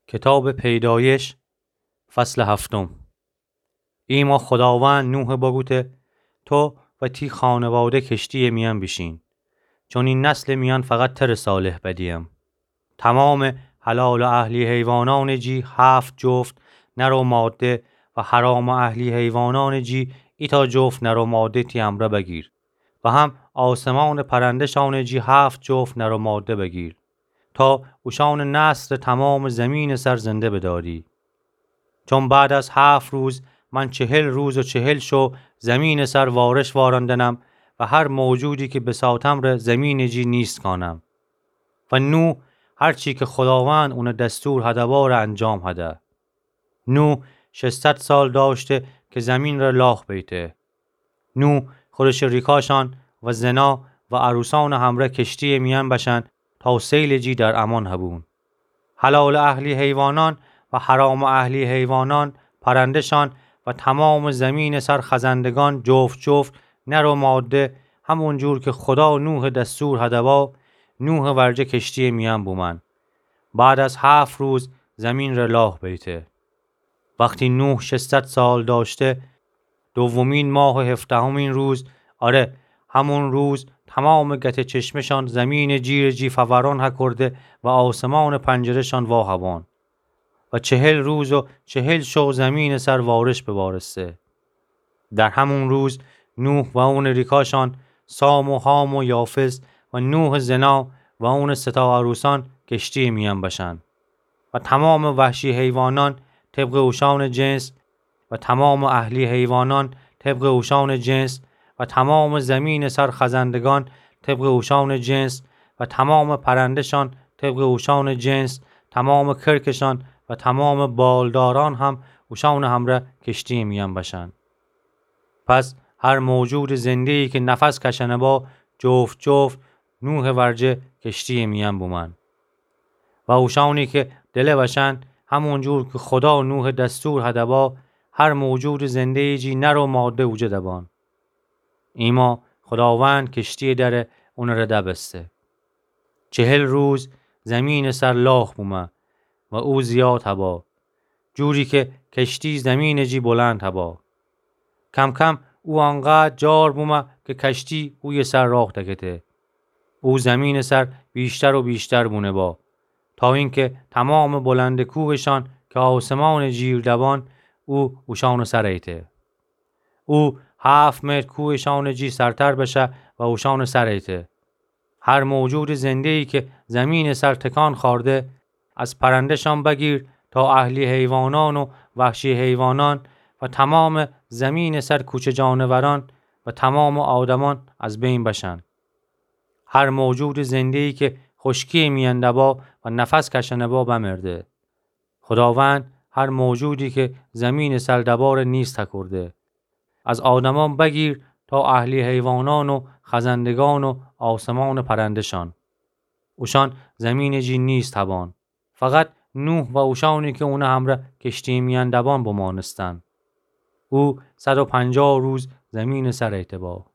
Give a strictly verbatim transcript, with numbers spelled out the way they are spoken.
کتابٚ پیدایش، فصلٚ هفتم. ایما خوداوند نوحَ بوگوته: تو و تی خانواده کشتییٚ میأن بیشین، چون ای نسلٚ میأن فقط تره صالح بدییم. تومامٚ حلالٚ اهلی حیوانأنٚ جی هفت جفت نر و ماده و حرامٚ اهلی حیوانأنٚ جی ایتأ جفت نر و ماده تی امرأ بگیر و هم آسمانٚ پرنده‌شأنٚ جی هفت جفت نر و ماده بگیر، تا اوشأنٚ نسل تومامٚ زیمینٚ سر زنده بدأری. چون بعد از هفت روز من چهل روز و چهل شو زیمینٚ سر وارش واراندنم و هر موجودی کی بساتم ره زیمینٚ جی نیست کانم. و نوح هر چی کی خوداوند اونٚ دستور هده باره انجام هده. نوح ششصد سال دأشته کی زیمین ره لاخ بیته. نوح خودشٚ ریکاشأن و زنا و عروسأنٚ همرأ کشتییٚ میأن بشأن تا سیلٚ جی در امان هبون. حلالٚ اهلی حیوانأن و حرامٚ اهلی حیوانأن، پرنده‌شأن و تومامٚ زیمینٚ سر خزندگأن جفت جفت نر و ماده، همون جور کی خودا نوحٚ دستور هده با، نوحٚ ورجه کشتییٚ میأن بومأن. بعد از هفت روز زیمین ره لاخ بیته. وختی نوح ششصد سال دأشته، دومین ماهٚ هفدهمین روز، آره، همون روز تومامٚ گته‌چشمه‌شأن زیمینٚ جیرٚ جی فورأن هکورده و آسمانٚ پنجره‌شأن وا هبأن و چهل روز و چهل شو زیمینٚ سر وارش ببارسته. در همون روز نوح و اونٚ ریکاشأن، سام و حام و یافث و نوحٚ زنا و اونٚ سه‌تا عروسأن کشتییٚ میأن بشأن. و تومامٚ وحشی حیوانأن طبقٚ اوشأنٚ جنس، و تومامٚ اهلی حیوانأن طبقٚ اوشأنٚ جنس، و تومامٚ زیمینٚ سر خزندگأن طبقٚ اوشأنٚ جنس، و تومامٚ پرنده‌شأن طبقٚ اوشأنٚ جنس، تومامٚ کرکشأن و تومامٚ بالدارأن هم اوشأنٚ همرأ کشتییٚ میأن بشأن. پس هر موجودٚ زنده‌یی کی نفس کشأنه با، جفت جفت نوحٚ ورجه کشتییٚ میأن بومأن. و اوشأنی کی دله بشأن، همون جور کی خودا نوحٚ دستور هده با، هر موجودٚ زنده‌یی جی نر و ماده اوجه دبأن. ایما خوداوند کشتییٚ دره اونٚ ره دبسته. چهل روز زیمینٚ سر لاخ بومه و او زیاد هبا، جوری کی کشتی زیمینٚ جی بلند هبا. کم‌کم او انقدر جار بومه کی کشتی اویه سر راه دکته. او زیمینٚ سر ویشتر و ویشتر بونه با، تا اینکی تومامٚ بلندٚ کوهشأن کی آسمانٚ جیر دبأن، او اوشأنٚ سر ایته. او هفت متر کوهشأنٚ جی سرتر بشه و اوشأنٚ سر ایته. هر موجودٚ زنده‌یی کی زیمینٚ سر تکان خوأرده، از پرنده‌شأن بگیر تا اهلی حیوانأن و وحشی حیوانأن و تومامٚ زیمینٚ سر کوچه جانورأن و تومامٚ آدمأن از بین بشأن. هر موجودٚ زنده‌یی کی خوشکییٚ میأن دبا و نفس کشأنه با بمرده. خوداوند هر موجودی کی زیمینٚ سر دبا ره نیست هکورده، از آدمأن بگیر تا اهلی حیوانأن و خزندگأن و آسمانٚ پرنده‌شأن. اوشأن زیمینٚ جی نیست هبأن. فقط نوح و اوشأنی کی اونٚ همرأ کشتییٚ میأن دبأن بمأنستن. او صد و پنجاه روز زیمینٚ سر ایته با.